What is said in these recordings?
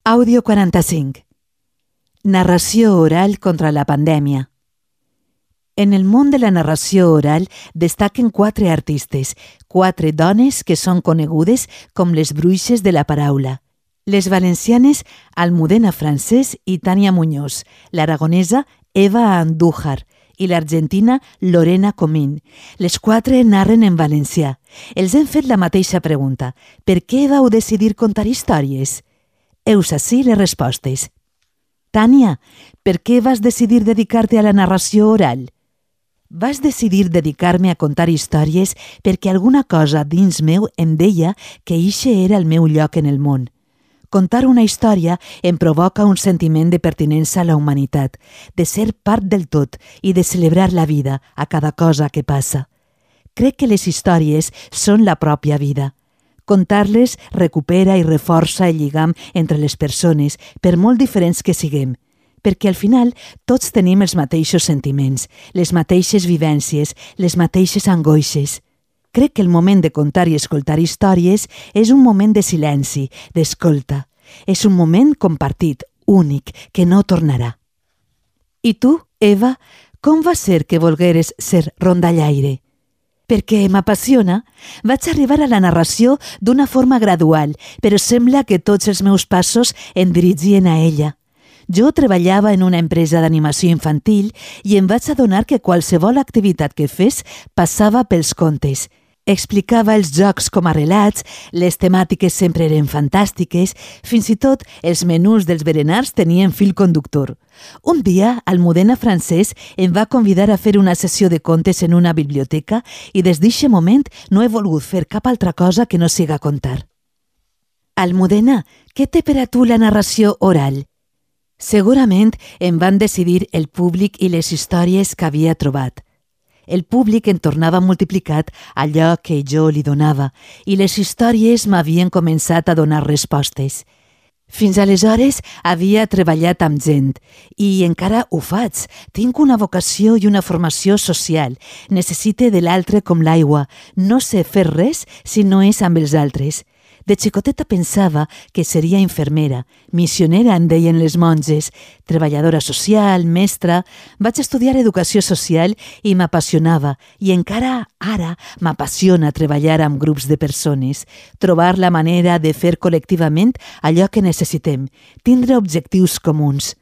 Àudio 45. Narració oral contra la pandèmia. En el món de la narració oral destaquen 4 artistes, 4 dones que són conegudes com les bruixes de la paraula. Les valencianes Almudena Francés i Tània Muñoz, l'aragonesa Eva Andújar i l'argentina Lorena Comín. Les 4 narren en valencià. Els hem fet la mateixa pregunta. Per què vau decidir contar històries? Heus ací les respostes. Tània, per què vas decidir dedicar-te a la narració oral? Vas decidir dedicar-me a contar històries perquè alguna cosa dins meu em deia que eixe era el meu lloc en el món. Contar una història em provoca un sentiment de pertinença a la humanitat, de ser part del tot i de celebrar la vida a cada cosa que passa. Crec que les històries són la pròpia vida. Contar-les recupera i reforça el lligam entre les persones, per molt diferents que siguem, perquè al final tots tenim els mateixos sentiments, les mateixes vivències, les mateixes angoixes. Crec que el moment de contar i escoltar històries és un moment de silenci, d'escolta. És un moment compartit, únic, que no tornarà. I tu, Eva, com va ser que volgueres ser rondallaire? Perquè m'apassiona, vaig arribar a la narració d'una forma gradual, però sembla que tots els meus passos em dirigien a ella. Jo treballava en una empresa d'animació infantil i em vaig adonar que qualsevol activitat que fes passava pels contes. Explicava els jocs com a relats, les temàtiques sempre eren fantàstiques, fins i tot els menús dels berenars tenien fil conductor. Un dia, Almudena Francés em va convidar a fer una sessió de contes en una biblioteca i des d'eixe moment no he volgut fer cap altra cosa que no siga contar. Almudena, què té per a tu la narració oral? Segurament em van decidir el públic i les històries que havia trobat. El públic en tornava multiplicat allò que jo li donava i les històries m'havien començat a donar respostes. Fins aleshores havia treballat amb gent i encara ho faig. Tinc una vocació i una formació social. Necessite de l'altre com l'aigua. No sé fer res si no és amb els altres. De xicoteta pensava que seria infermera, missionera en deien les monges, treballadora social, mestra. Vaig estudiar educació social i m'apassionava, i encara ara m'apassiona treballar amb grups de persones, trobar la manera de fer col·lectivament allò que necessitem, tindre objectius comuns.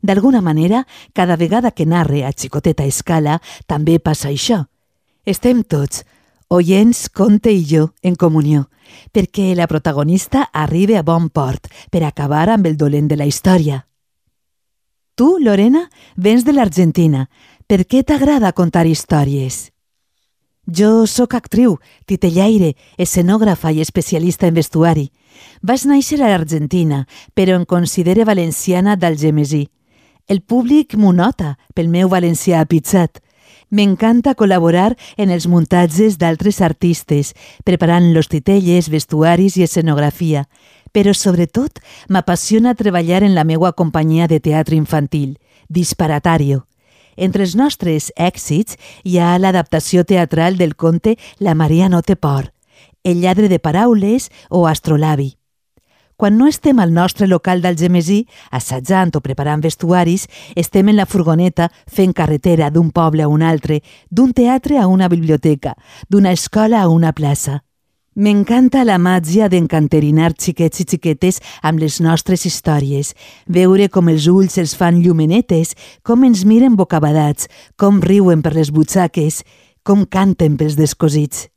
D'alguna manera, cada vegada que narre a xicoteta escala, també passa això. Estem tots, oients, conte i jo, en comunió, perquè la protagonista arribi a bon port per acabar amb el dolent de la història. Tu, Lorena, vens de l'Argentina. Per què t'agrada contar històries? Jo sóc actriu, titellaire, escenògrafa i especialista en vestuari. Vaig néixer a l'Argentina, però em considero valenciana d'Algemesí. El públic m'ho nota pel meu valencià apitzat. M'encanta col·laborar en els muntatges d'altres artistes, preparant los titelles, vestuaris i escenografia, però sobretot m'apassiona treballar en la meua companyia de teatre infantil, Disparatario. Entre els nostres èxits hi ha l'adaptació teatral del conte La Maria no té por, El lladre de paraules o Astrolabi. Quan no estem al nostre local d'Algemesí, assajant o preparant vestuaris, estem en la furgoneta fent carretera d'un poble a un altre, d'un teatre a una biblioteca, d'una escola a una plaça. M'encanta la màgia d'encanterinar xiquets i xiquetes amb les nostres històries, veure com els ulls els fan llumenetes, com ens miren bocabadats, com riuen per les butxaques, com canten pels descosits.